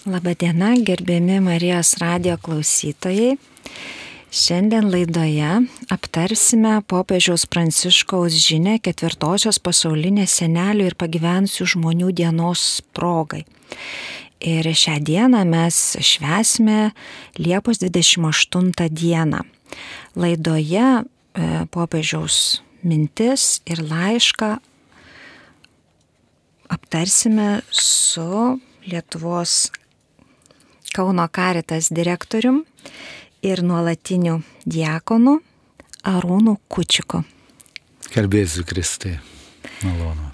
Labadiena, gerbiami Marijos radijo klausytojai. Šiandien laidoje aptarsime popiežiaus Pranciškaus žinią 4-osios pasaulinės senelių ir pagyvenusių žmonių dienos progai. Ir šią dieną mes švęsime Liepos 28 dieną. Laidoje popiežiaus mintis ir laišką aptarsime su Lietuvos Kauno Caritas direktorium ir nuolatiniu diakonu Arūnu Kučiku. Garbėsiu Kristai, malonu.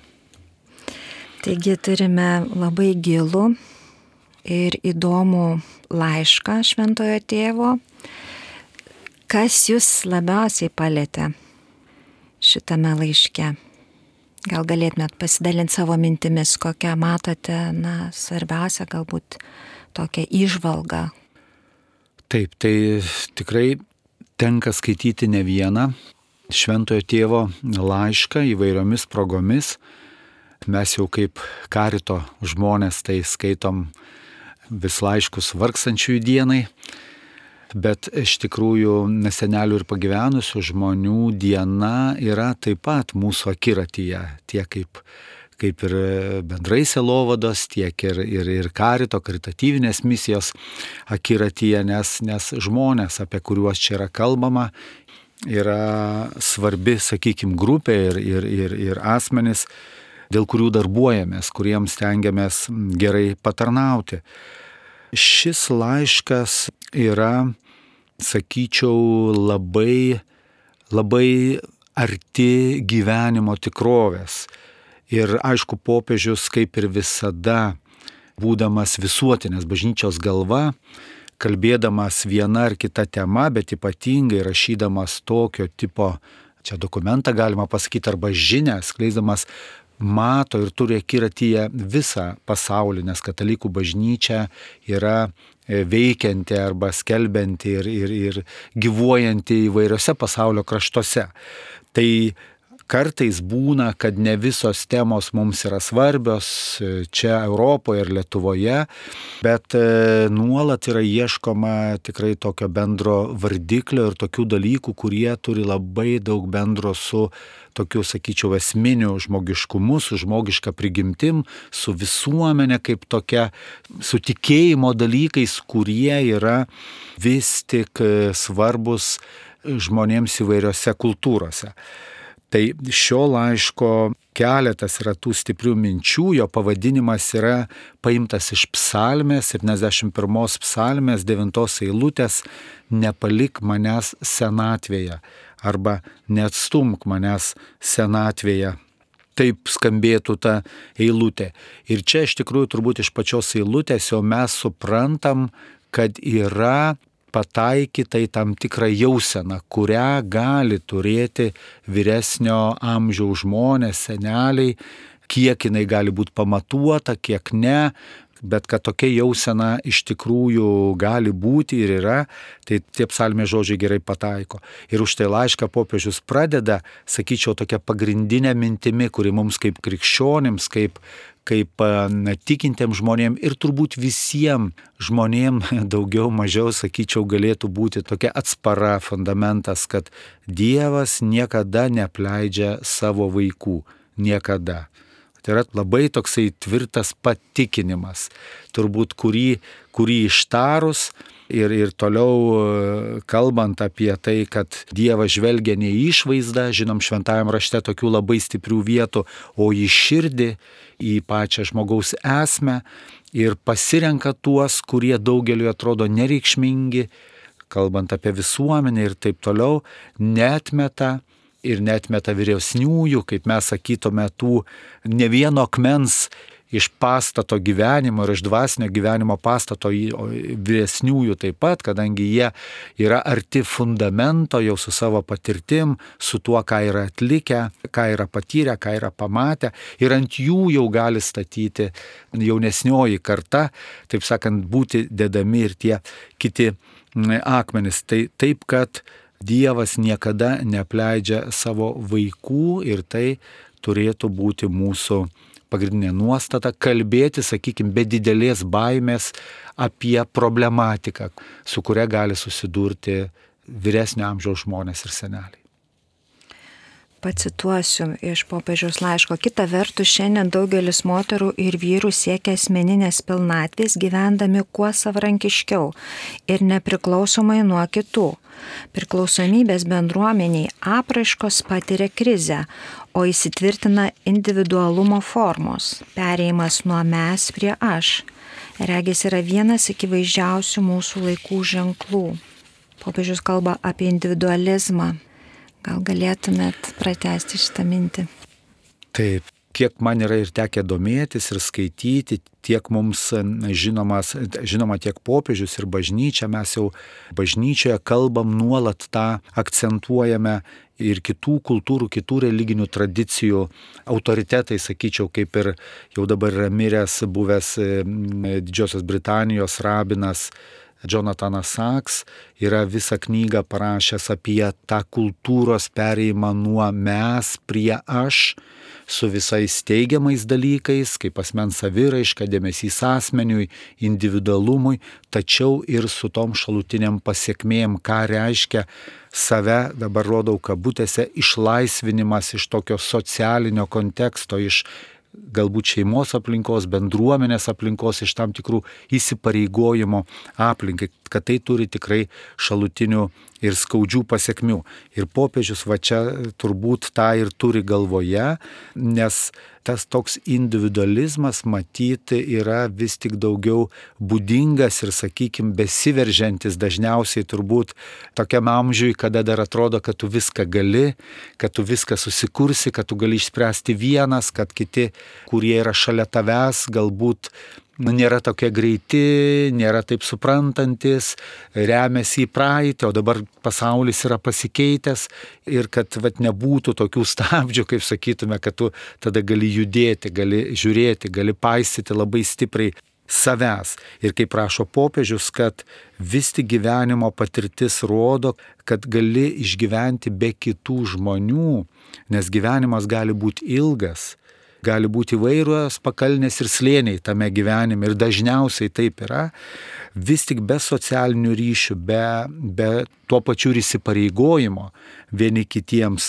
Taigi turime labai gilų ir įdomų laišką Šventojo Tėvo. Kas jūs labiausiai palietė šitame laiške? Gal galėtumėt pasidalinti savo mintimis, kokią matote, svarbiausia galbūt tokią įžvalgą. Taip, tai tikrai tenka skaityti ne vieną Šventojo Tėvo laišką įvairiomis progomis. Mes jau kaip karito žmonės tai skaitom vis laiškus vargstančiųjų dienai, bet iš tikrųjų senelių ir pagyvenusių žmonių diena yra taip pat mūsų akiratyje, tiek kaip ir bendrai sielovados, tiek ir karito, karitatyvinės misijos akiratyje, nes žmonės, apie kuriuos čia yra kalbama, yra svarbi, grupė ir asmenys, dėl kurių darbuojamės, kuriems stengiamės gerai patarnauti. Šis laiškas yra, sakyčiau, labai arti gyvenimo tikrovės. Ir aišku, popiežius, kaip ir visada, būdamas visuotinės bažnyčios galva, kalbėdamas viena ar kita tema, bet ypatingai rašydamas tokio tipo, čia dokumentą galima pasakyti, arba žinią, skleisdamas, mato ir turi akiratyje visą pasaulį, nes katalikų bažnyčia yra veikianti arba skelbianti ir gyvuojanti įvairiose pasaulio kraštuose. Tai kartais būna, kad ne visos temos mums yra svarbios čia Europoje ir Lietuvoje, bet nuolat yra ieškoma tikrai tokio bendro vardiklio ir tokių dalykų, kurie turi labai daug bendro su tokiu, sakyčiau, esminiu žmogiškumu, su žmogiška prigimtim, su visuomenė kaip tokia, su tikėjimo dalykais, kurie yra vis tik svarbus žmonėms įvairiose kultūrose. Tai šio laiško keletas yra tų stiprių minčių, jo pavadinimas yra paimtas iš psalmės, 71 psalmės 9 eilutės, nepalik manęs senatvėje arba neatstumk manęs senatvėje. Taip skambėtų ta eilutė. Ir čia iš tikrųjų turbūt iš pačios eilutės jau mes suprantam, kad yra pataikyta į tam tikrą jauseną, kurią gali turėti vyresnio amžiaus žmonės, seneliai, kiek jinai gali būti pamatuota, kiek ne, bet kad tokia jausena iš tikrųjų gali būti ir yra, tai tie psalmės žodžiai gerai pataiko. Ir už tai laišką popiežius pradeda, sakyčiau, tokia pagrindinė mintimi, kuri mums kaip krikščionims, kaip tikintiems žmonėms ir turbūt visiems žmonėms daugiau mažiau, sakyčiau, galėtų būti tokia atspara fundamentas, kad Dievas niekada neapleidžia savo vaikų. Niekada. Tai yra labai toksai tvirtas patikinimas, turbūt kurį ištarus ir toliau kalbant apie tai, kad Dievas žvelgia ne į išvaizdą, žinom šventajam rašte tokių labai stiprių vietų, o į širdį, į pačią žmogaus esmę ir pasirenka tuos, kurie daugeliu atrodo nereikšmingi, kalbant apie visuomenę ir taip toliau, neatmeta vyresniųjų, kaip mes sakytume, tų ne vieno akmens iš pastato gyvenimo ir iš dvasinio gyvenimo pastato vyresniųjų taip pat, kadangi jie yra arti fundamento jau su savo patirtim, su tuo, ką yra atlikę, ką yra patyrę, ką yra pamatę ir ant jų jau gali statyti jaunesnioji karta, taip sakant, būti dedami ir tie kiti akmenys. Tai taip, kad Dievas niekada neapleidžia savo vaikų ir tai turėtų būti mūsų pagrindinė nuostata - kalbėti, sakykime, be didelės baimės apie problematiką, su kuria gali susidurti vyresnio amžiaus žmonės ir seneliai. Pacituosiu iš popiežiaus laiško. Kita vertus, šiandien daugelis moterų ir vyrų siekia asmeninės pilnatvės, gyvendami kuo savarankiškiau ir nepriklausomai nuo kitų. Priklausomybės bendruomeniai apraiškos patiria krizę, o įsitvirtina individualumo formos, perėjimas nuo mes prie aš. Regis yra vienas akivaizdžiausių mūsų laikų ženklų. Popiežius kalba apie individualizmą. Gal galėtumėt pratęsti šitą mintį? Taip, kiek man yra ir tekę domėtis ir skaityti, tiek mums žinoma tiek popiežius ir bažnyčia, mes jau bažnyčioje kalbam nuolat tą, akcentuojame ir kitų kultūrų, kitų religinių tradicijų autoritetai, sakyčiau, kaip ir jau dabar yra miręs buvęs Didžiosios Britanijos rabinas Jonathanas Sachs, yra visą knygą parašęs apie tą kultūros perėjimą nuo mes prie aš, su visais teigiamais dalykais, kaip asmens saviraiška, dėmesys asmeniui, individualumui, tačiau ir su tom šalutiniam pasiekmėm, ką reiškia save, dabar rodau kabutėse, išlaisvinimas iš tokio socialinio konteksto, iš galbūt šeimos aplinkos, bendruomenės aplinkos, iš tam tikrų įsipareigojimo aplinkai, kad tai turi tikrai šalutinių ir skaudžių pasiekmių. Ir popiežius va čia turbūt tą ir turi galvoje, nes tas toks individualizmas matyti yra vis tik daugiau būdingas ir, sakykime, besiveržiantis dažniausiai turbūt tokiam amžiui, kada dar atrodo, kad tu viską gali, kad tu viską susikursi, kad tu gali išspręsti vienas, kad kiti, kurie yra šalia tavęs, galbūt nėra tokie greiti, nėra taip suprantantis, remiasi į praeitį, o dabar pasaulis yra pasikeitęs ir kad nebūtų tokių stabdžių, kaip sakytume, kad tu tada gali judėti, gali žiūrėti, gali paisyti labai stipriai savęs. Ir kaip rašo popiežius, kad vis tik gyvenimo patirtis rodo, kad gali išgyventi be kitų žmonių, nes gyvenimas gali būti ilgas. Gali būti įvairios pakalnės ir slėniai tame gyvenime ir dažniausiai taip yra, vis tik be socialinių ryšių, be tuo pačiu ir įsipareigojimo vieni kitiems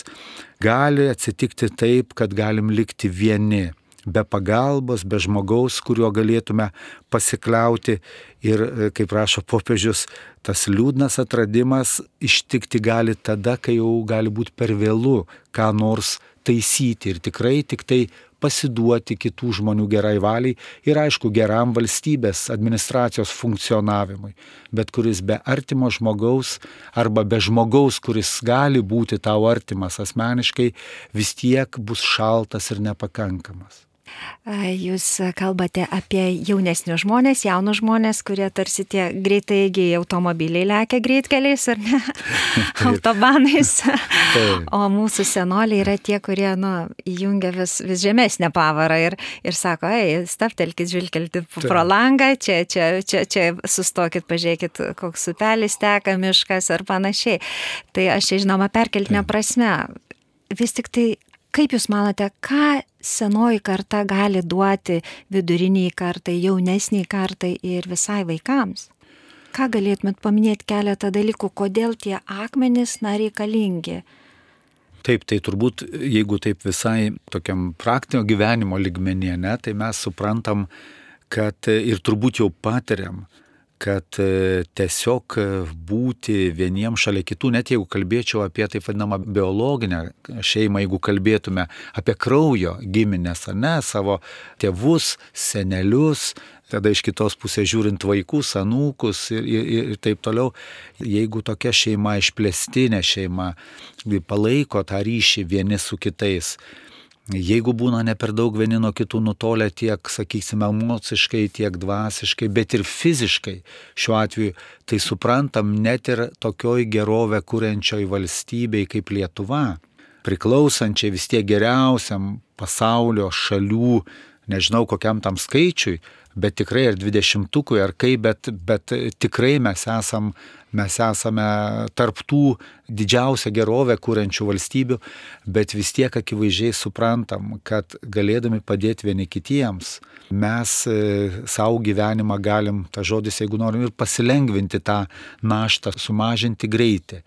gali atsitikti taip, kad galim likti vieni, be pagalbos, be žmogaus, kuriuo galėtume pasikliauti ir, kaip rašo popiežius, tas liūdnas atradimas ištikti gali tada, kai jau gali būti per vėlu ką nors taisyti ir tikrai tik tai pasiduoti kitų žmonių gerai valiai ir aišku geram valstybės administracijos funkcionavimui, bet kuris be artimo žmogaus arba be žmogaus, kuris gali būti tau artimas asmeniškai, vis tiek bus šaltas ir nepakankamas. Jūs kalbate apie jaunesnius žmonės, jaunus žmonės, kurie tarsi tie greitaigiai automobiliai lekia greitkeliais ar ne, autobanais, o mūsų senoliai yra tie, kurie įjungia vis žemesnę pavarą ir sako, stabtelkit, žvilgtelkit pro langą, čia sustokit, pažiūrėkit, koks upelis teka, miškas ar panašiai. Tai aš čia žinoma perkeltinė prasme. Vis tik tai, kaip Jūs manote, ką senoji karta gali duoti viduriniai kartai, jaunesniai kartai ir visai vaikams? Ką galėtumėt paminėti keletą dalykų, kodėl tie akmenys reikalingi? Taip, tai turbūt, jeigu taip visai tokiam praktinio gyvenimo lygmenyje, tai mes suprantam, kad ir turbūt jau patiriam, kad tiesiog būti vieniem šalia kitų, net jeigu kalbėčiau apie taip vadinamą biologinę šeimą, jeigu kalbėtume apie kraujo giminės, savo tėvus, senelius, tada iš kitos pusės žiūrint vaikus, anūkus ir taip toliau, jeigu tokia šeima, išplėstinė šeima, palaiko tą ryšį vieni su kitais, jeigu būna ne per daug vieni nuo kitų nutolę tiek, sakysime, emociškai, tiek dvasiškai, bet ir fiziškai šiuo atveju, tai suprantam net ir tokioj gerovę kuriančioj valstybei kaip Lietuva, priklausančiai vis tiek geriausiam pasaulio šalių nežinau kokiam tam skaičiui, bet tikrai ar 20-ukui, ar kaip, bet tikrai mes esame tarptų didžiausią gerovę kūrenčių valstybių, bet vis tiek akivaizdžiai suprantam, kad galėdami padėti vieni kitiems, mes savo gyvenimą galim, ta žodis, jeigu norim, ir pasilengvinti tą naštą, sumažinti greitį,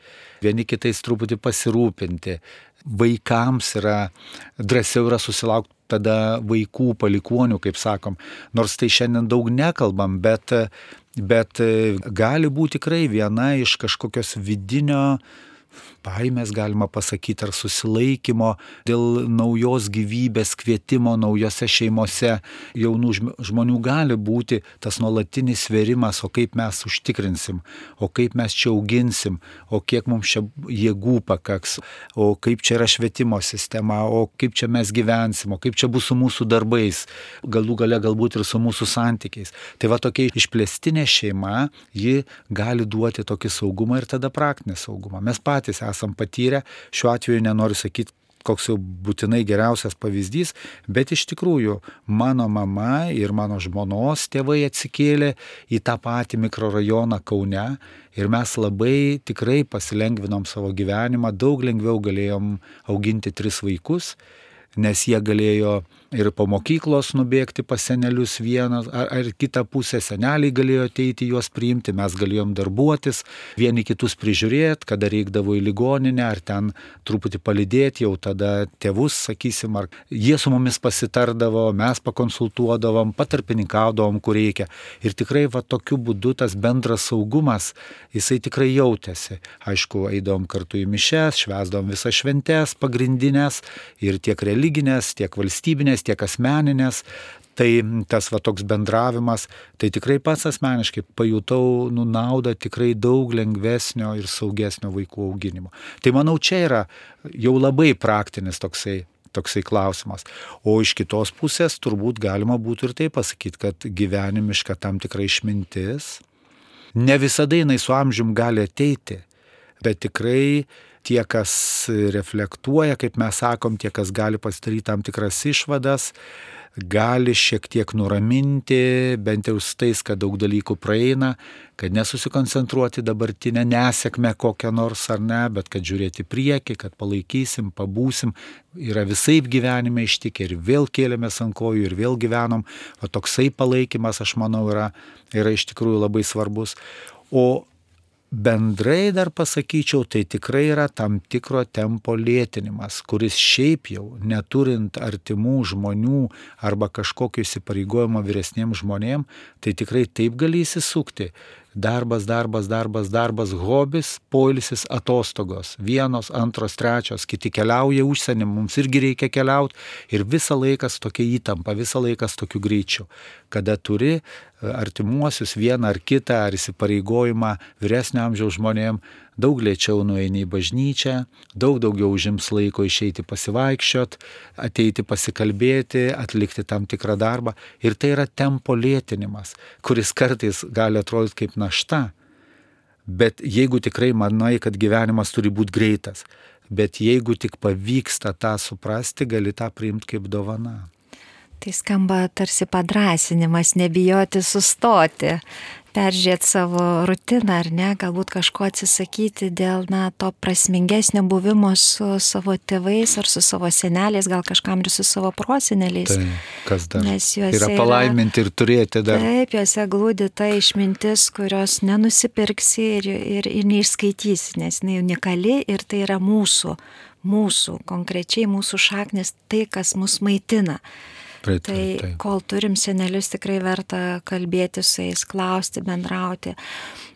vieni kitais truputį pasirūpinti. Vaikams drąsiau yra susilaukti tada vaikų palikuonių, kaip sakom, nors tai šiandien daug nekalbam, bet gali būti tikrai viena iš kažkokios vidinio baimės, galima pasakyti, ar susilaikymo dėl naujos gyvybės kvietimo naujose šeimose jaunų žmonių gali būti tas nuolatinis svėrimas, o kaip mes užtikrinsim, o kaip mes čia auginsim, o kiek mums čia jėgų pakaks, o kaip čia yra švietimo sistema, o kaip čia mes gyvensim, o kaip čia bus su mūsų darbais, galų gale galbūt ir su mūsų santykiais. Tai va tokia išplėstinė šeima, ji gali duoti tokį saugumą ir tada praktinį saugumą. Mes patys esam patyrę, šiuo atveju nenoriu sakyti, koks jau būtinai geriausias pavyzdys, bet iš tikrųjų mano mama ir mano žmonos tėvai atsikėlė į tą patį mikrorajoną Kaune ir mes labai tikrai pasilengvinom savo gyvenimą, daug lengviau galėjom auginti 3 vaikus, nes jie galėjo ir po mokyklos nubėgti pas senelius vienas ar kitą pusę, seneliai galėjo ateiti juos priimti, mes galėjom darbuotis, vieni kitus prižiūrėti, kada reikdavo į ligoninę, ar ten truputį palydėti jau tada tėvus, sakysim, ar jie su mumis pasitardavo, mes pakonsultuodavom, patarpininkaudavom, kur reikia. Ir tikrai va tokiu būdu tas bendras saugumas, jisai tikrai jautėsi. Aišku, eidavom kartu į mišes, švęsdavom visas šventes pagrindinės ir tiek religinės, tiek valstybinės, tiek asmeninės, tai tas va toks bendravimas, tai tikrai pats asmeniškai pajutau naudą tikrai daug lengvesnio ir saugesnio vaikų auginimo. Tai manau, čia yra jau labai praktinis toksai klausimas. O iš kitos pusės turbūt galima būtų ir tai pasakyti, kad gyvenimiška tam tikra išmintis, ne visada jinai su amžium gali ateiti, bet tikrai tie, kas reflektuoja, kaip mes sakom, tie, kas gali pasidaryti tam tikras išvadas, gali šiek tiek nuraminti, bent jau su tais, kad daug dalykų praeina, kad nesusikoncentruoti dabartinę nesėkmę kokią nors ar ne, bet kad žiūrėti priekį, kad palaikysim, pabūsim, yra visaip gyvenime ištikę ir vėl kėlėmės ant kojų ir vėl gyvenom, o toksai palaikymas, aš manau, yra iš tikrųjų labai svarbus. O bendrai dar pasakyčiau, tai tikrai yra tam tikro tempo lėtinimas, kuris šiaip jau neturint artimų žmonių arba kažkokio įsipareigojimo vyresniems žmonėms, tai tikrai taip gali įsisukti. Darbas, hobis, poilsis, atostogos. 1, 2, 3, kiti keliauja užsienį, mums irgi reikia keliauti ir visą laiką su tokia įtampa, visą laiką su tokiu greičiu. Kada turi artimuosius vieną ar kitą ar įsipareigojimą vyresnio amžiaus žmonėm, daug lėčiau nueini į bažnyčią, daug daugiau užims laiko išeiti pasivaikščiot, ateiti pasikalbėti, atlikti tam tikrą darbą. Ir tai yra tempo lėtinimas, kuris kartais gali atrodyti kaip našta. Bet jeigu tikrai manai, kad gyvenimas turi būti greitas, bet jeigu tik pavyksta tą suprasti, gali tą priimti kaip dovana. Tai skamba tarsi padrąsinimas, nebijoti sustoti, peržiūrėti savo rutiną ar ne, galbūt kažko atsisakyti dėl to prasmingesnio buvimo su savo tėvais ar su savo seneliais, gal kažkam ir su savo proseneliais. Tai kas dar? Nes juose yra palaiminti ir turėti dar. Taip, juose glūdi ta išmintis, kurios nenusipirksi ir neišskaitysi, nes jinai unikali ir tai yra mūsų, konkrečiai mūsų šaknis, tai, kas mus maitina. Tai kol turim senelius, tikrai verta kalbėti su jais, klausti, bendrauti.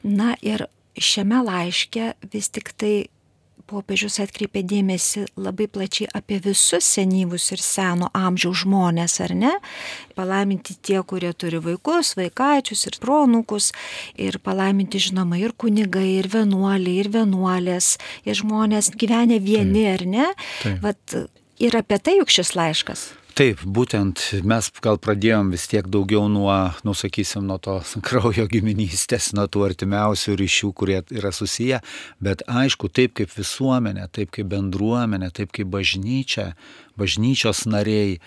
Na ir šiame laiške vis tik tai popiežius atkreipė dėmesį labai plačiai apie visus senyvus ir seno amžiaus žmonės, ar ne? Palaiminti tie, kurie turi vaikus, vaikaičius ir proanūkus, ir palaiminti, žinoma, ir kunigai, ir vienuoliai, ir vienuolės, ir žmonės gyvenę vieni, ar ne? Vat ir apie tai juk šis laiškas. Taip, būtent mes gal pradėjom vis tiek daugiau nuo tos kraujo giminystės, nuo tų artimiausių ryšių, kurie yra susiję, bet aišku, taip kaip visuomenė, taip kaip bendruomenė, taip kaip bažnyčia, bažnyčios nariai,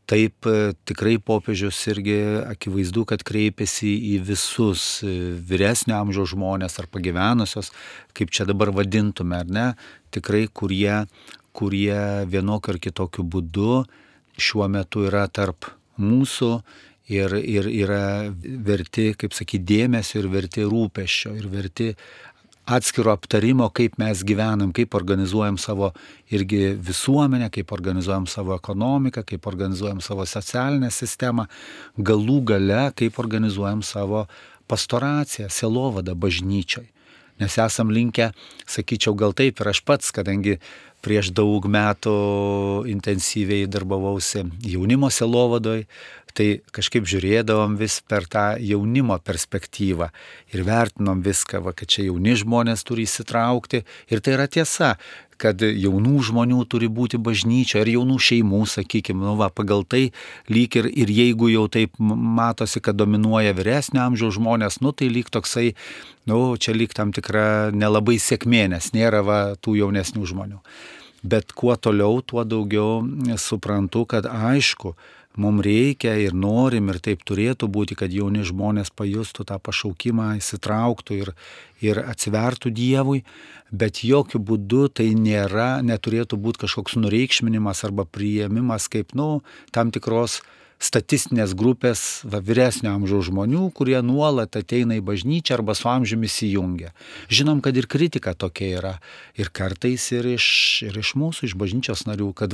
taip tikrai popiežius irgi akivaizdu, kad kreipiasi į visus vyresnio amžiaus žmonės ar pagyvenusios, kaip čia dabar vadintume, ar ne, tikrai kurie vienokiu ar kitokiu būdu šiuo metu yra tarp mūsų ir yra verti, kaip sakyti, dėmesio ir verti rūpesčio ir verti atskiro aptarimo, kaip mes gyvenam, kaip organizuojam savo irgi visuomenę, kaip organizuojam savo ekonomiką, kaip organizuojam savo socialinę sistemą, galų gale, kaip organizuojam savo pastoraciją, sielovadą bažnyčioj. Nes esam linkę, sakyčiau, gal taip ir aš pats, kadangi prieš daug metų intensyviai darbavausi jaunimo sielovadoj, tai kažkaip žiūrėdavom vis per tą jaunimo perspektyvą ir vertinom viską, kad čia jauni žmonės turi įsitraukti. Ir tai yra tiesa, kad jaunų žmonių turi būti bažnyčia ir jaunų šeimų, sakykime, pagal tai lyg ir jeigu jau taip matosi, kad dominuoja vyresnio amžiaus žmonės, tai lyg toksai, čia lyg tam tikra nelabai sėkmė, nes nėra tų jaunesnių žmonių. Bet kuo toliau, tuo daugiau suprantu, kad aišku, mums reikia ir norim ir taip turėtų būti, kad jauni žmonės pajustų tą pašaukimą, įsitrauktų ir atsivertų Dievui, bet jokių būdų tai neturėtų būti kažkoks nureikšminimas arba priėmimas kaip, tam tikros statistinės grupės vyresnio amžiaus žmonių, kurie nuolat ateina į bažnyčią arba su amžiumi įsijungia. Žinom, kad ir kritika tokia yra. Ir kartais ir iš mūsų, iš bažnyčios narių, kad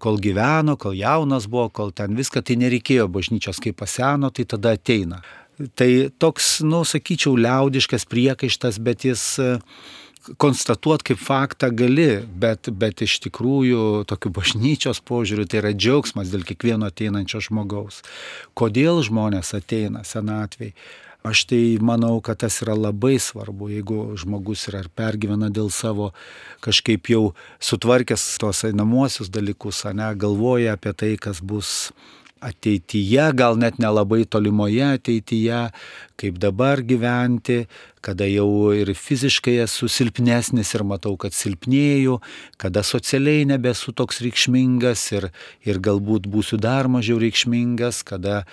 kol gyveno, kol jaunas buvo, kol ten viską, tai nereikėjo bažnyčios, kai paseno, tai tada ateina. Tai toks, sakyčiau, liaudiškas priekaištas, bet jis konstatuot kaip faktą gali, bet iš tikrųjų tokiu bažnyčios požiūriu tai yra džiaugsmas dėl kiekvieno ateinančio žmogaus. Kodėl žmonės ateina senatvėj? Aš tai manau, kad tas yra labai svarbu, jeigu žmogus yra ir pergyvena dėl savo kažkaip jau sutvarkęs tos einamuosius dalykus, galvoja apie tai, kas bus ateityje, gal net nelabai tolimoje ateityje, kaip dabar gyventi, kada jau ir fiziškai esu silpnesnis ir matau, kad silpnėju, kada socialiai nebesu toks reikšmingas ir galbūt būsiu dar mažiau reikšmingas, kada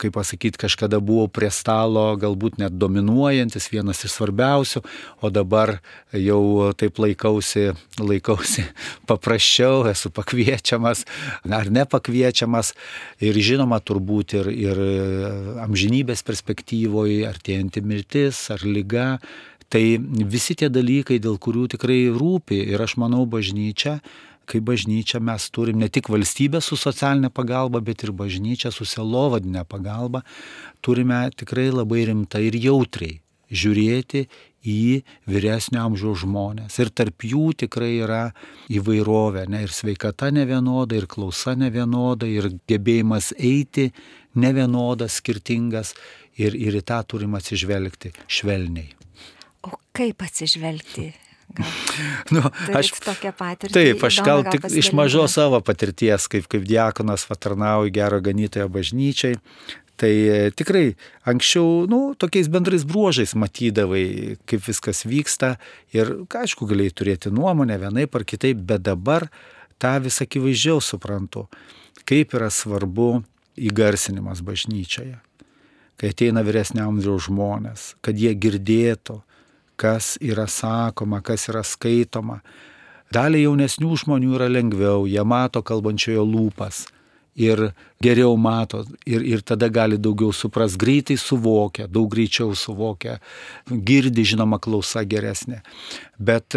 kaip pasakyti, kažkada buvau prie stalo, galbūt net dominuojantis, vienas iš svarbiausių, o dabar jau taip laikausi paprasčiau, esu pakviečiamas ar nepakviečiamas ir žinoma turbūt ir amžinybės perspektyvoje, artėjanti mirtis ar liga, tai visi tie dalykai, dėl kurių tikrai rūpi ir aš manau kaip bažnyčia mes turim ne tik valstybę su socialinė pagalba, bet ir bažnyčia su sielovadinė pagalba, turime tikrai labai rimtai ir jautriai žiūrėti į vyresnio amžiaus žmonės. Ir tarp jų tikrai yra įvairovė, ir sveikata nevienoda, ir klausa nevienoda, ir gebėjimas eiti nevienodas, skirtingas, ir į tą turim atsižvelgti švelniai. O kaip atsižvelgti? Aš tokią patirtį. Taip, aš gal tik iš mažos savo patirties, kaip diakonas tarnauju Gero Ganytojo bažnyčiai, tai tikrai anksčiau, tokiais bendrais bruožais matydavai, kaip viskas vyksta ir, aišku, galėjai turėti nuomonę vienaip ar kitaip, bet dabar tą vis akivaizdžiau suprantu, kaip yra svarbu įgarsinimas bažnyčioje, kai ateina vyresnio amžiaus žmonės, kad jie girdėtų, kas yra sakoma, kas yra skaitoma. Daliai jaunesnių žmonių yra lengviau, jie mato kalbančiojo lūpas ir geriau mato ir tada gali daugiau supras, greitai suvokia, daug greičiau suvokia, girdi, žinoma, klausa geresnė. Bet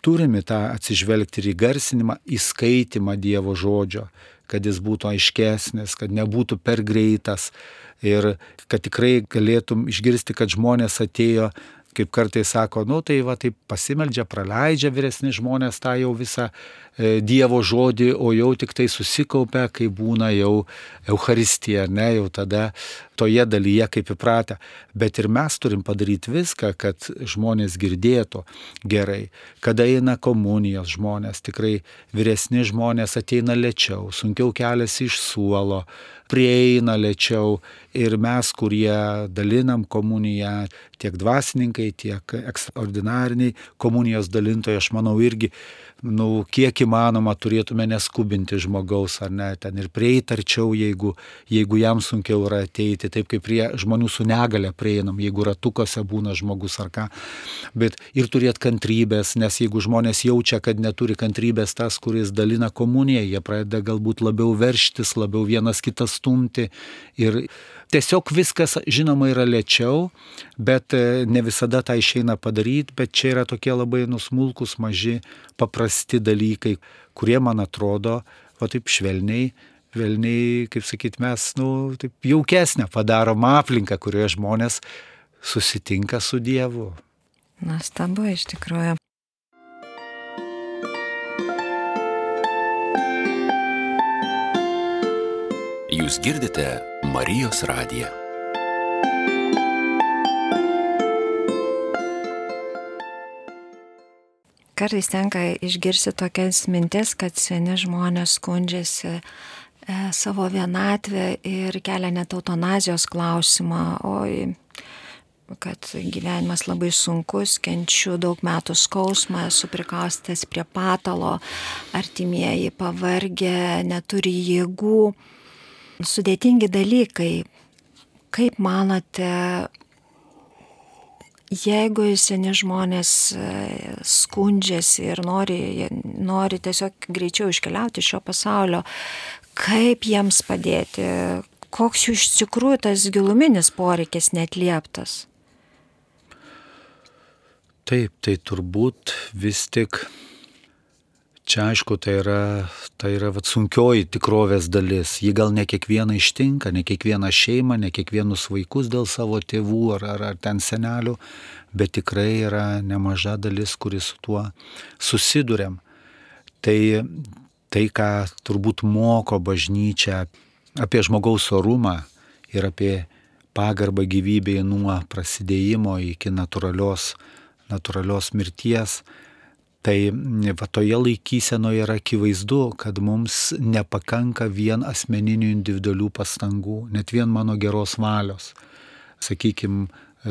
turime tą atsižvelgti ir į garsinimą, į skaitimą Dievo žodžio, kad jis būtų aiškesnis, kad nebūtų per greitas ir kad tikrai galėtum išgirsti, kad žmonės atėjo, kaip kartais sako, taip pasimeldžia, praleidžia vyresni žmonės tą jau visą Dievo žodį, o jau tik tai susikaupia, kai būna jau Eucharistija, jau tada toje dalyje kaip įpratę. Bet ir mes turim padaryti viską, kad žmonės girdėtų gerai. Kada eina komunijos žmonės, tikrai vyresni žmonės ateina lėčiau, sunkiau keliasi iš suolo, prieina lėčiau ir mes, kurie dalinam komuniją, tiek dvasininkai, tiek ekstraordinariniai komunijos dalintojai, aš manau irgi kiek įmanoma turėtume neskubinti žmogaus, ar ne, ten ir prieiti arčiau, jeigu jam sunkiau yra ateiti, taip kaip prie žmonių su negale prieinam, jeigu ratukose būna žmogus ar ką, bet ir turėti kantrybės, nes jeigu žmonės jaučia, kad neturi kantrybės tas, kuris dalina komuniją, jie pradeda galbūt labiau verštis, labiau vienas kitą stumti ir tiesiog viskas, žinoma, yra lėčiau, bet ne visada tą išeina padaryti, bet čia yra tokie labai smulkus, maži, paprasti dalykai, kurie, man atrodo, taip švelniai, kaip sakyt, mes, taip jaukesnę padarom aplinką, kurioje žmonės susitinka su Dievu. Nuostabu, iš tikrųjų. Jūs girdite Marijos radiją. Kartais tenka išgirsti tokias mintis, kad seni žmonės skundžiasi savo vienatvę ir kelia net eutanazijos klausimą, kad gyvenimas labai sunkus, kenčiu daug metų skausmą, esu prikaustas prie patalo, artimieji pavargę, neturi jėgų. Sudėtingi dalykai. Kaip manote, jeigu seni žmonės skundžiasi ir nori tiesiog greičiau iškeliauti iš šio pasaulio, kaip jiems padėti? Koks jų iš tikrųjų tas giluminis poreikis neatlieptas? Taip, tai turbūt vis tik čia, aišku, tai yra sunkioji tikrovės dalis. Ji gal ne kiekvieną ištinka, ne kiekvieną šeimą, ne kiekvienus vaikus dėl savo tėvų ar ten senelių, bet tikrai yra nemaža dalis, kuris su tuo susiduriam. Tai, ką turbūt moko bažnyčia apie žmogaus orumą ir apie pagarbą gyvybei nuo prasidėjimo iki natūralios mirties, tai toje laikysenoje yra akivaizdu, kad mums nepakanka vien asmeninių individualių pastangų, net vien mano geros valios. Sakykime,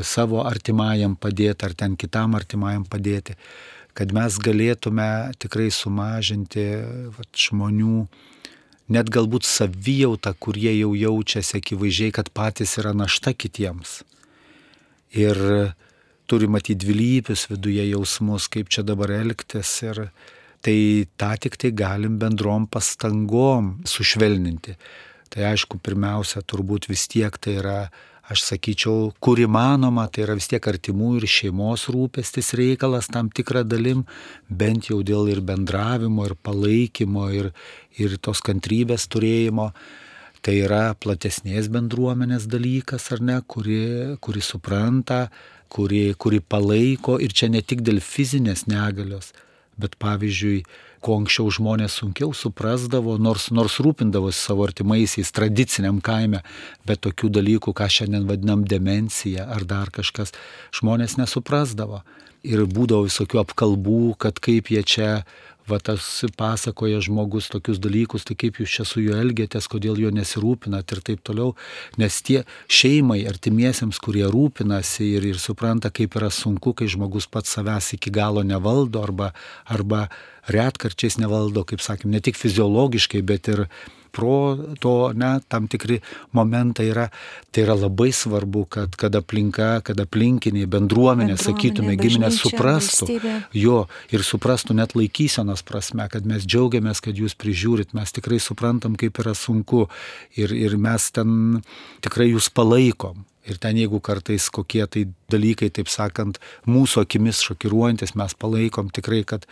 savo artimajam padėti ar ten kitam artimajam padėti, kad mes galėtume tikrai sumažinti žmonių, net galbūt savijautą, kurie jau jaučiasi akivaizdžiai, kad patys yra našta kitiems. Ir turi matyti dvilypius viduje jausmus, kaip čia dabar elgtis, ir tai tą tik tai galim bendrom pastangom sušvelninti. Tai aišku, pirmiausia, turbūt vis tiek tai yra, aš sakyčiau, kur įmanoma, tai yra vis tiek artimų ir šeimos rūpestis reikalas tam tikrą dalim, bent jau dėl ir bendravimo, ir palaikymo, ir tos kantrybės turėjimo. Tai yra platesnės bendruomenės dalykas, ar ne, kuri supranta, kuri palaiko, ir čia ne tik dėl fizinės negalios, bet pavyzdžiui, ko anksčiau žmonės sunkiau suprasdavo, nors rūpindavosi savo artimaisiais tradiciniam kaime, bet tokių dalykų, ką šiandien vadinam demencija ar dar kažkas, žmonės nesuprasdavo. Ir būdavo visokių apkalbų, kad kaip jie čia, tas pasakoja žmogus tokius dalykus, tai kaip jūs čia su juo elgiatės, kodėl jo nesirūpinat ir taip toliau. Nes tie šeimai, artimiesiems, kurie rūpinasi ir supranta, kaip yra sunku, kai žmogus pats savęs iki galo nevaldo arba retkarčiais nevaldo, kaip sakėm, ne tik fiziologiškai, bet ir proto, tam tikri momentai yra. Tai yra labai svarbu, kad aplinka, kad aplinkiniai, bendruomenė, sakytume, giminės suprastų jo ir suprastų net laikysenos prasme, kad mes džiaugiamės, kad jūs prižiūrit, mes tikrai suprantam, kaip yra sunku ir mes ten tikrai jūs palaikom. Ir ten, jeigu kartais kokie tai dalykai, taip sakant, mūsų akimis šokiruojantis, mes palaikom tikrai, kad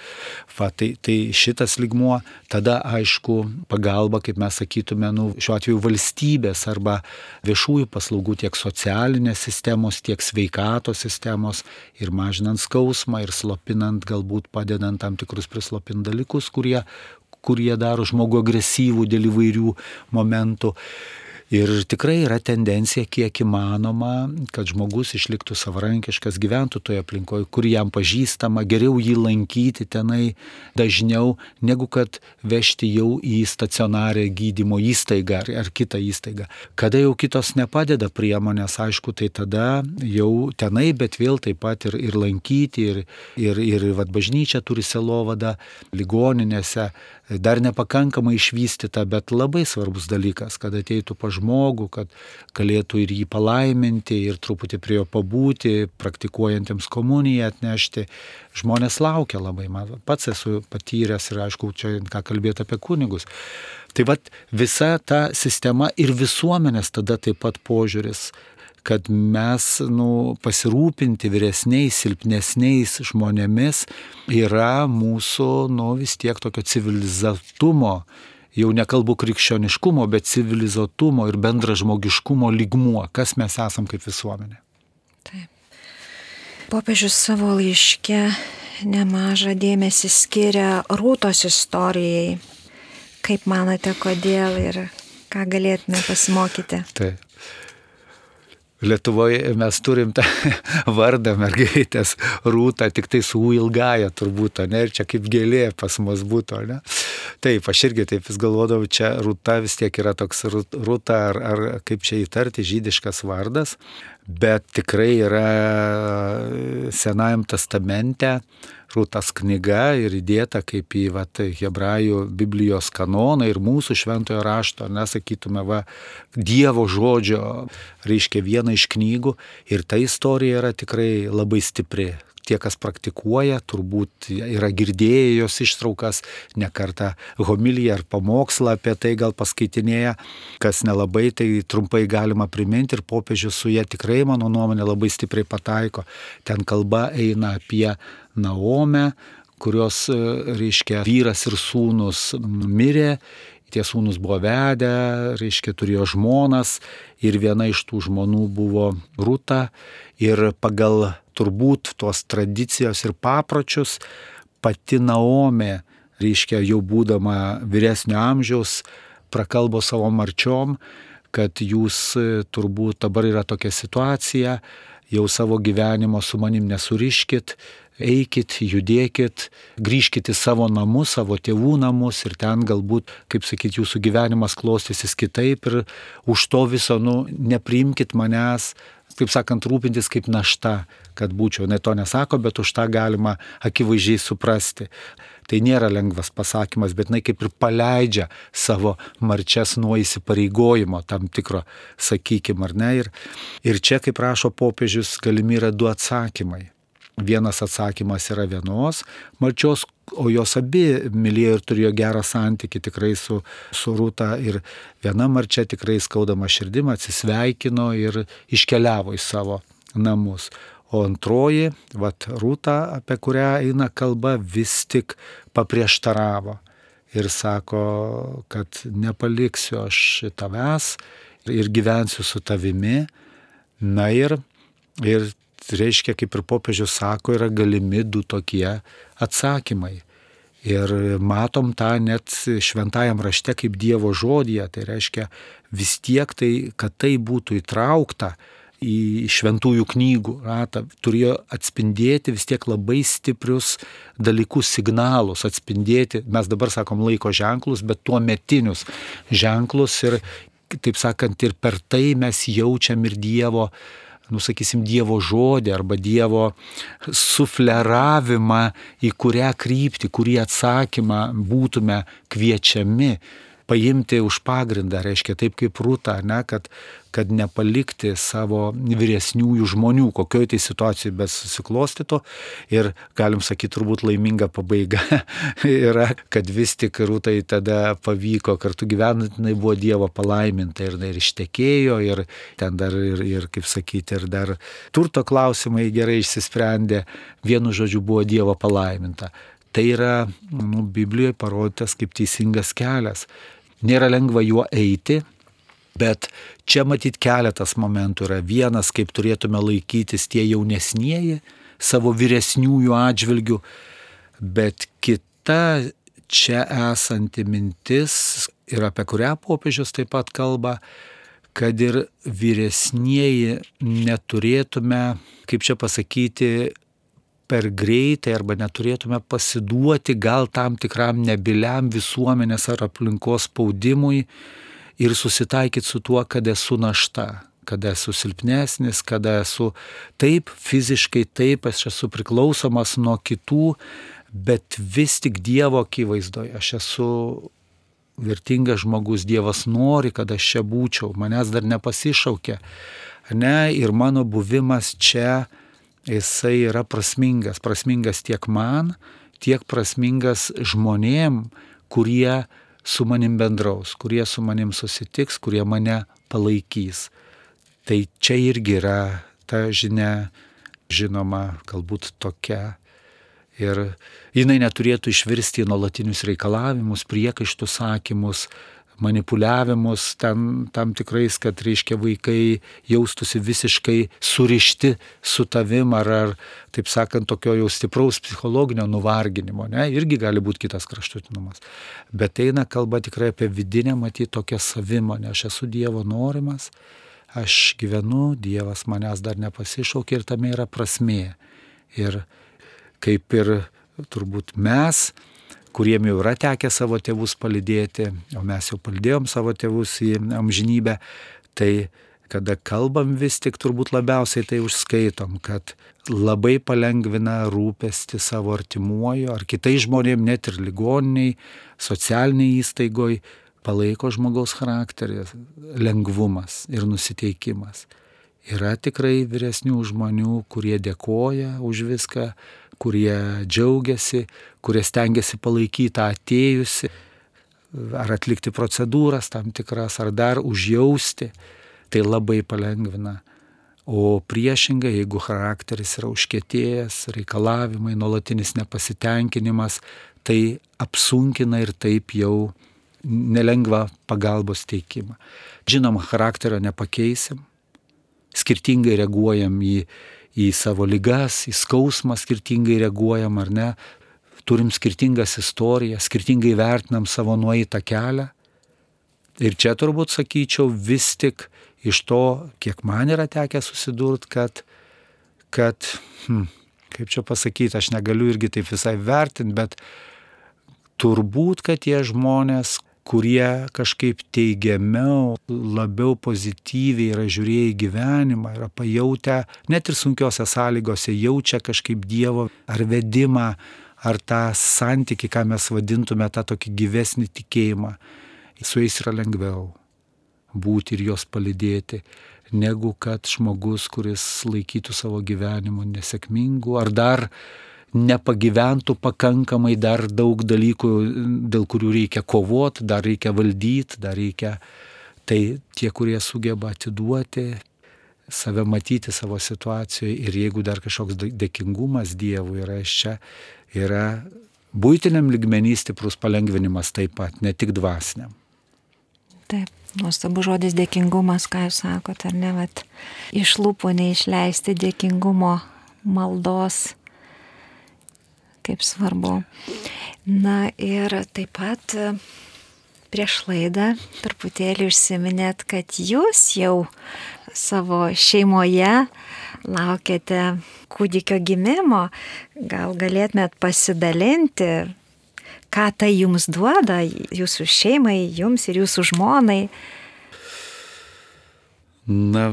tai šitas lygmuo, tada aišku pagalba, kaip mes sakytume, šiuo atveju valstybės arba viešųjų paslaugų, tiek socialinės sistemos, tiek sveikatos sistemos, ir mažinant skausmą, ir slopinant, galbūt padedant tam tikrus prislopint dalykus, kurie daro žmogų agresyvų dėl įvairių momentų. Ir tikrai yra tendencija, kiek įmanoma, kad žmogus išliktų savarankiškas, gyventų toje aplinkoje, kur jam pažįstama, geriau jį lankyti tenai dažniau, negu kad vežti jau į stacionarę gydymo įstaigą ar kitą įstaigą. Kada jau kitos nepadeda priemonės, aišku, tai tada jau tenai, bet vėl taip pat ir lankyti, ir bažnyčia turi sielovadą, ligoninėse, dar nepakankamai išvystyta, bet labai svarbus dalykas, kad ateitų pa žmogų, kad galėtų ir jį palaiminti, ir truputį prie jo pabūti, praktikuojantiems komuniją atnešti. Žmonės laukia labai, man pats esu patyręs ir aišku, čia ką kalbėti apie kunigus. Tai visa ta sistema ir visuomenės tada taip pat požiūris, kad mes pasirūpinti vyresniais, silpnesniais žmonėmis yra mūsų vis tiek tokio civilizatumo, jau nekalbu krikščioniškumo, bet civilizuotumo ir bendražmogiškumo lygmuo, kas mes esam kaip visuomenė. Taip. Popiežius savo laiške nemažą dėmesį skiria Rūtos istorijai. Kaip manote, kodėl ir ką galėtume pasimokyti? Taip. Lietuvoje mes turim tą vardą mergaitės Rūta, tik tai su U ilgaja turbūt, ne? Ir čia kaip gėlė pas mus būtų, ne? Taip, aš irgi taip vis galvodavau, čia Rūta vis tiek yra toks Rūta, ar kaip čia įtarti, žydiškas vardas, bet tikrai yra Senajam testamente Rūtos knyga ir įdėta kaip į hebrajų Biblijos kanoną ir mūsų šventojo rašto, nesakytume, Dievo žodžio, reiškia viena iš knygų, ir ta istorija yra tikrai labai stipri. Tie, kas praktikuoja, turbūt yra girdėję jos ištraukas, ne kartą homiliją ar pamokslą apie tai gal paskaitinėję, kas nelabai, tai trumpai galima priminti ir popiežius su ja tikrai, mano nuomonė, labai stipriai pataiko. Ten kalba eina apie Naomę, kurios, reiškia, vyras ir sūnus mirė, tie sūnus buvo vedę, reiškia, turėjo žmonas ir viena iš tų žmonų buvo Rūta ir pagal turbūt tos tradicijos ir papročius pati Naomė, reiškia, jau būdama vyresnio amžiaus, prakalbo savo marčiom, kad jūs turbūt dabar yra tokia situacija, jau savo gyvenimo su manim nesuriškit, eikit, judėkit, grįžkit į savo namus, savo tėvų namus ir ten galbūt, kaip sakyt, jūsų gyvenimas klostysis kitaip ir už to viso, nepriimkit manęs, taip sakant, rūpintis kaip našta, kad būčiau, ne to nesako, bet už tą galima akivaizdžiai suprasti. Tai nėra lengvas pasakymas, bet kaip ir paleidžia savo marčias nuo įsipareigojimo tam tikro, sakykim, ar ne. Ir čia, kaip rašo popiežius, galimi yra du atsakymai. Vienas atsakymas yra vienos marčios, o jos abi mylėjo ir turėjo gerą santykį tikrai su Rūta ir viena marčia tikrai skaudama širdimą atsisveikino ir iškeliavo į savo namus. O antroji, Rūta, apie kurią eina kalba, vis tik paprieštaravo ir sako, kad nepaliksiu aš tavęs ir gyvensiu su tavimi. Na ir reiškia, kaip ir popiežius sako, yra galimi du tokie atsakymai. Ir matom tą net šventajam rašte kaip Dievo žodyje, tai reiškia vis tiek tai, kad tai būtų įtraukta į šventųjų knygų ratą, turėjo atspindėti vis tiek labai stiprius dalykus, signalus, atspindėti, mes dabar sakom laiko ženklus, bet tuo metinius ženklus ir, taip sakant, ir per tai mes jaučiam ir Dievo, sakysim, Dievo žodį arba Dievo sufleravimą, į kurią kryptį, kurį atsakymą būtume kviečiami paimti už pagrindą, reiškia taip kaip Rūta, ne, kad nepalikti savo vyresniųjų žmonių, kokioj tai situacijai besusiklostytų ir, galim sakyti, turbūt laiminga pabaiga yra, kad vis tik Rūtai tada pavyko kartu gyvenant, jinai buvo Dievo palaiminta ir ištekėjo ir ten dar ir kaip sakyti, ir dar turto klausimai gerai išsisprendė, vienu žodžiu buvo Dievo palaiminta. Tai yra Biblijoje parodytas kaip teisingas kelias. Nėra lengva juo eiti, bet čia matyt keletas momentų yra. Vienas, kaip turėtume laikytis tie jaunesnieji savo vyresniųjų atžvilgių, bet kita čia esanti mintis ir apie kurią popiežius taip pat kalba, kad ir vyresnieji neturėtume, kaip čia pasakyti, per greitai arba neturėtume pasiduoti gal tam tikram nebyliam visuomenės ar aplinkos spaudimui ir susitaikyti su tuo, kad esu našta, kad esu silpnesnis, kad esu taip fiziškai, taip aš esu priklausomas nuo kitų, bet vis tik Dievo akivaizdoje aš esu vertingas žmogus, Dievas nori, kad aš čia būčiau, manęs dar nepasišaukė, ne, ir mano buvimas čia jisai yra prasmingas tiek man, tiek prasmingas žmonėm, kurie su manim bendraus, kurie su manim susitiks, kurie mane palaikys. Tai čia irgi yra ta žinia, žinoma, galbūt tokia. Ir jinai neturėtų išvirsti į nuolatinius reikalavimus, priekaištus sakymus, manipuliavimus tam tikrais, kad reiškia vaikai jaustųsi visiškai surišti su tavim ar taip sakant, tokio jau stipraus psichologinio nuvarginimo, ne, irgi gali būti kitas kraštutinumas. Bet eina kalba tikrai apie vidinę, matyti tokią savimonę, aš esu Dievo norimas, aš gyvenu, Dievas manęs dar nepasišaukė ir tame yra prasmė. Ir kaip ir turbūt mes, kuriem jau yra tekę savo tėvus palydėti, o mes jau palydėjom savo tėvus į amžinybę, tai kada kalbam vis tik turbūt labiausiai tai užskaitom, kad labai palengvina rūpestį savo artimuoju ar kitais žmonėm, net ir ligoniniai, socialiniai įstaigoj, palaiko žmogaus charakterį, lengvumas ir nusiteikimas. Yra tikrai vyresnių žmonių, kurie dėkoja už viską, kurie džiaugiasi, kurie stengiasi palaikyti atėjusi, ar atlikti procedūras tam tikras, ar dar užjausti, tai labai palengvina. O priešingai, jeigu charakteris yra užkietėjęs, reikalavimai, nuolatinis nepasitenkinimas, tai apsunkina ir taip jau nelengva pagalbos teikimą. Žinoma, charakterio nepakeisim, skirtingai reaguojam į savo ligas, į skausmą skirtingai reaguojam ar ne, turim skirtingas istorijas, skirtingai vertinam savo nueitą kelią. Ir čia turbūt sakyčiau vis tik iš to, kiek man yra tekę susidurti, kad kaip čia pasakyti, aš negaliu irgi taip visai vertinti, bet turbūt, kad tie žmonės, kurie kažkaip teigiamiau, labiau pozityviai yra žiūrėję į gyvenimą, yra pajautę, net ir sunkiose sąlygose, jaučia kažkaip Dievo ar vedimą, ar tą santykį, ką mes vadintume tą tokį gyvesnį tikėjimą. Su jais yra lengviau būti ir juos palydėti, negu kad žmogus, kuris laikytų savo gyvenimo nesėkmingu, ar dar nepagyventų pakankamai, dar daug dalykų, dėl kurių reikia kovoti, dar reikia valdyti, dar reikia. Tai tie, kurie sugeba atiduoti, save matyti savo situacijoje ir jeigu dar kažkoks dėkingumas Dievui yra iš čia, yra buitiniam lygmenį stiprus palengvinimas taip pat, ne tik dvasiniam. Taip, nuostabu žodis dėkingumas, ką jūs sakote, ar ne, vat, iš lūpų neišleisti dėkingumo maldos. Kaip svarbu. Na ir taip pat prieš laidą truputėlį užsiminėt, kad jūs jau savo šeimoje laukiate kūdikio gimimo. Gal galėtumėt pasidalinti, ką tai jums duoda, jūsų šeimai, jums ir jūsų žmonai? Na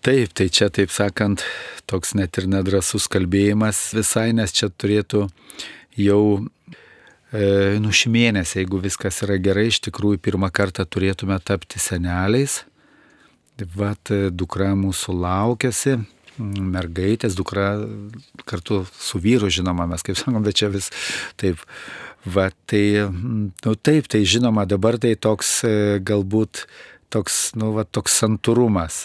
taip, tai čia taip sakant, toks net ir nedrasus kalbėjimas visai, nes čia turėtų jau šį mėnesį, jeigu viskas yra gerai, iš tikrųjų pirmą kartą turėtume tapti seneliais. Vat dukra mūsų laukiasi, mergaitės, dukra kartu su vyru, žinoma, mes kaip sakom, bet čia vis taip. Va, tai, taip, tai žinoma, dabar tai toks galbūt toks santūrumas.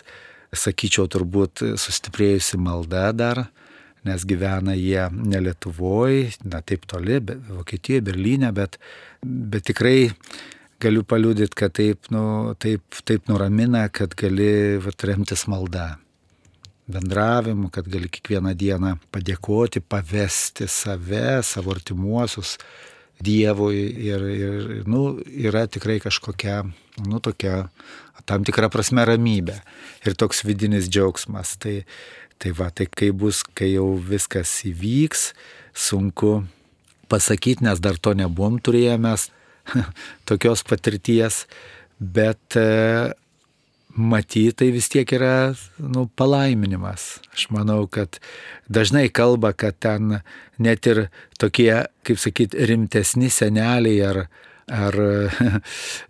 Sakyčiau, turbūt sustiprėjusi malda dar, nes gyvena jie ne Lietuvoje, na taip toli, Vokietijoje, Berlyne, bet tikrai galiu paliudyti, kad taip nuramina, kad gali remtis malda, bendravimu, kad gali kiekvieną dieną padėkoti, pavesti save, savo artimuosius Dievui ir yra tikrai kažkokia tokia tam tikra prasme ramybė ir toks vidinis džiaugsmas. Tai kai bus, kai jau viskas įvyks, sunku pasakyti, nes dar to nebuvom turėję mes tokios patirties, bet matyti tai vis tiek yra palaiminimas. Aš manau, kad dažnai kalba, kad ten net ir tokie, kaip sakyti, rimtesni seneliai ar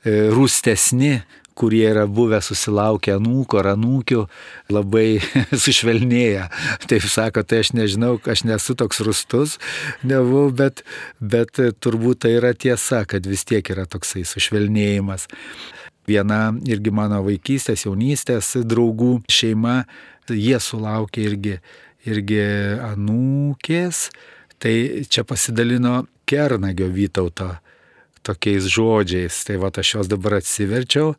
rūstesni, kurie yra buvę susilaukę anūkų ar anūkių, labai sušvelnėja. Taip sako, tai aš nežinau, aš nesu toks rūstus, nebuvau, bet turbūt tai yra tiesa, kad vis tiek yra toksai sušvelnėjimas. Viena irgi mano vaikystės, jaunystės draugų šeima, jie sulaukė irgi anūkės, tai čia pasidalino Kernagio Vytauto tokiais žodžiais. Tai aš juos dabar atsiverčiau.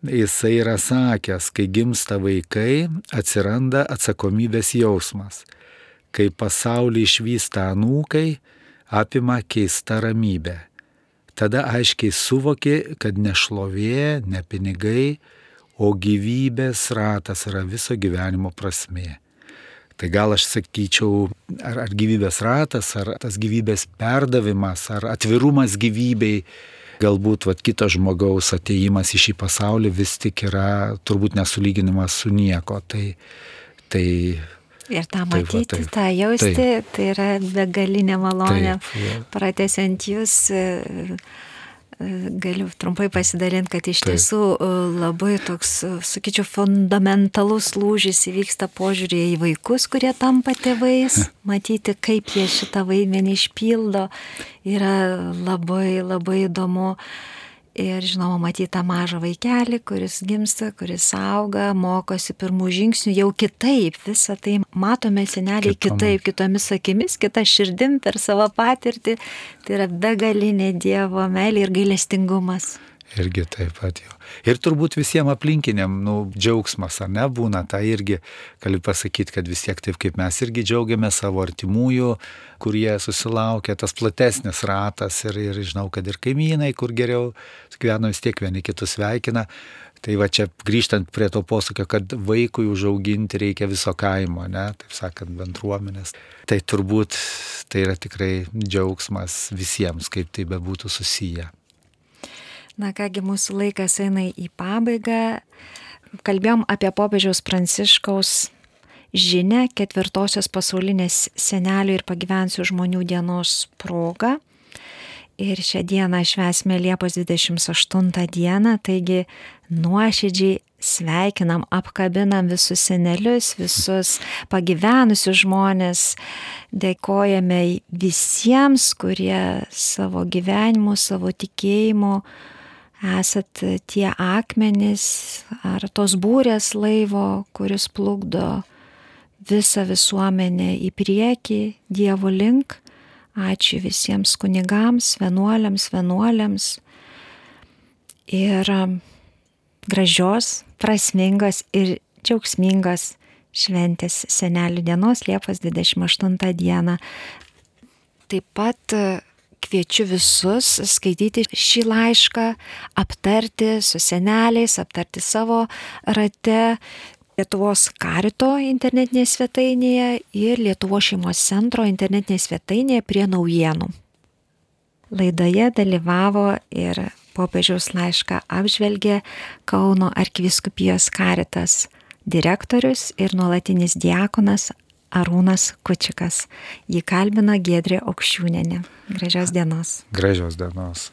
Jisai yra sakęs, kai gimsta vaikai, atsiranda atsakomybės jausmas. Kai pasaulį išvysta anūkai, apima keista ramybė. Tada aiškiai suvoki, kad ne šlovė, ne pinigai, o gyvybės ratas yra viso gyvenimo prasmė. Tai gal aš sakyčiau, ar gyvybės ratas, ar tas gyvybės perdavimas, ar atvirumas gyvybei, galbūt kito žmogaus atėjimas į šį pasaulį vis tik yra turbūt nesulyginimas su nieko. Ir tą matyti, tą jausti, tai yra begalinė malonė. Pratęsiant jūs, galiu trumpai pasidalinti, kad iš tiesų labai toks, sakyčiau, fundamentalus lūžis įvyksta požiūrėje į vaikus, kurie tampa tėvais. Matyti, kaip jie šitą vaidmenį išpildo, yra labai, labai įdomu. Ir žinoma, matyti tą mažą vaikelį, kuris gimsta, kuris auga, mokosi pirmų žingsnių, jau kitaip. Visą tai matome seneliai kitaip, kitomis akimis, kita širdim per savo patirtį. Tai yra begalinė Dievo meilė ir gailestingumas. Irgi taip pat jau. Ir turbūt visiems aplinkiniam, džiaugsmas, ar ne, būna, tai irgi galiu pasakyti, kad vis tiek taip kaip mes irgi džiaugiame savo artimųjų, kurie susilaukia, tas platesnis ratas ir žinau, kad ir kaimynai, kur geriau gyvena, vis tiek vieni kitus sveikina. Tai čia grįžtant prie to posakio, kad vaikui užauginti reikia viso kaimo, ne, taip sakant, bendruomenės. Tai turbūt tai yra tikrai džiaugsmas visiems, kaip tai bebūtų susiję. Na kągi, mūsų laikas eina į pabaigą. Kalbėjom apie popiežiaus Pranciškaus žinią 4-osios pasaulinės senelių ir pagyvenusių žmonių dienos proga. Ir šią dieną švęsime Liepos 28 dieną, taigi nuoširdžiai sveikinam, apkabinam visus senelius, visus pagyvenusius žmonės. Dėkojame visiems, kurie savo gyvenimu, savo tikėjimu esat tie akmenys ar tos būrės laivo, kuris plukdo visą visuomenę į priekį, Dievo link. Ačiū visiems kunigams, vienuoliams ir gražios, prasmingos ir džiaugsmingos šventės senelių dienos Liepos 28 dieną. Taip pat kviečiu visus skaityti šį laišką, aptarti su seneliais, aptarti savo rate Lietuvos Karito internetinėje svetainėje ir Lietuvos šeimos centro internetinėje svetainėje prie naujienų. Laidoje dalyvavo ir popiežiaus laišką apžvelgė Kauno arkivyskupijos Karitas direktorius ir nuolatinis diakonas Arūnas Kučikas. Jį kalbina Giedrė Aukščiūnienė. Gražios dienos. Gražios dienos.